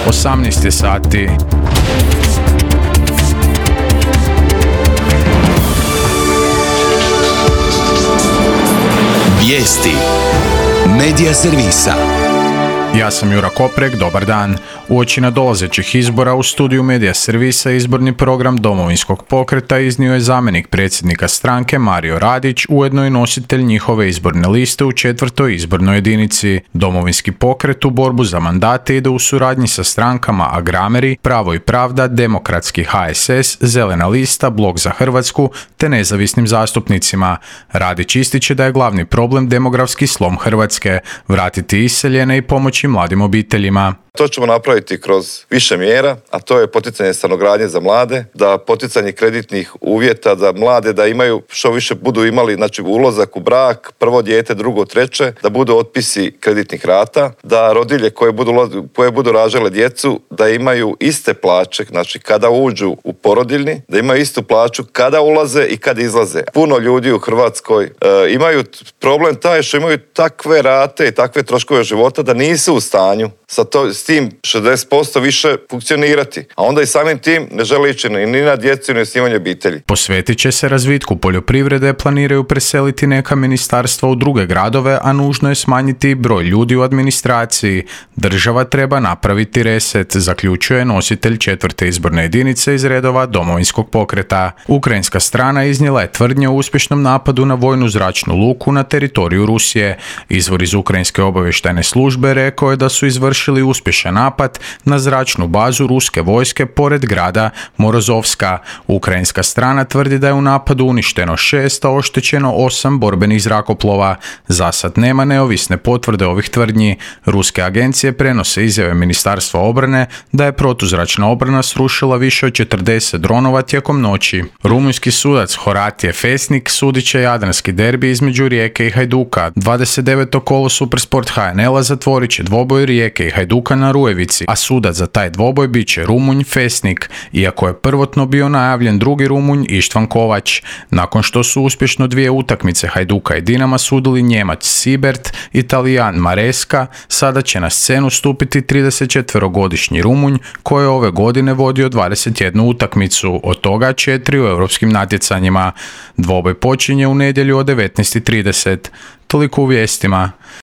18 je sati. Vijesti Medija servisa. Ja sam Jura Koprek, dobar dan. Uoči nadolazećih izbora u studiju Medija servisa izborni program Domovinskog pokreta iznio je zamjenik predsjednika stranke Mario Radić, ujedno i nositelj njihove izborne liste u 4. izbornoj jedinici. Domovinski pokret u borbu za mandate ide u suradnji sa strankama Agrameri, Pravo i pravda, Demokratski HSS, Zelena lista, Blok za Hrvatsku te nezavisnim zastupnicima. Radić ističe da je glavni problem demografski slom Hrvatske, vratiti iseljene i pomoći mladim obiteljima. To ćemo napraviti kroz više mjera, a to je poticanje stanogradnje za mlade, da poticanje kreditnih uvjeta za mlade, da imaju što više budu imali, znači ulazak u brak, prvo dijete, drugo, treće, da budu otpisi kreditnih rata, da rodilje koje budu rađale djecu, da imaju iste plaće, znači kada uđu u porodiljni, da imaju istu plaću kada ulaze i kad izlaze. Puno ljudi u Hrvatskoj imaju problem taj što imaju takve rate i takve troškove života da nisu u stanju s tim 60% više funkcionirati. A onda i samim tim ne žele ići ni na djecu ni na osnivanje obitelji. Posvetit će se razvitku poljoprivrede, planiraju preseliti neka ministarstva u druge gradove, a nužno je smanjiti broj ljudi u administraciji. Država treba napraviti reset, zaključuje nositelj 4. izborne jedinice iz redova Domovinskog pokreta. Ukrajinska strana iznijela je tvrdnje o uspješnom napadu na vojnu zračnu luku na teritoriju Rusije. Izvor iz ukrajinske obavještajne službe rekao je da su izvršili uspješan napad na zračnu bazu ruske vojske pored grada Morozovska. Ukrajinska strana tvrdi da je u napadu uništeno 6, a oštećeno 8 borbenih zrakoplova. Zasad nema neovisne potvrde ovih tvrdnji. Ruske agencije prenose izjave Ministarstva obrane da je protuzračna obrana srušila više od 40 dronova tijekom noći. Rumunjski sudac Horatije Fesnik sudit će jadranski derbi između Rijeke i Hajduka. 29. kolo Supersport HNL-a zatvorit će dvoboj Rijeke i Hajduka na Rujevici, a sudac za taj dvoboj bit će Rumunj Fesnik, iako je prvotno bio najavljen drugi Rumunj Ištvan Kovač. Nakon što su uspješno 2 utakmice Hajduka i Dinama sudili Njemac Sibert i Talijan Maresca, sada će na scenu stupiti 34-godišnji Rumunj koji je ove godine vodio 21 utakmicu, od toga 4 u europskim natjecanjima. Dvoboj počinje u nedjelju od 19:30. Toliko u vijestima.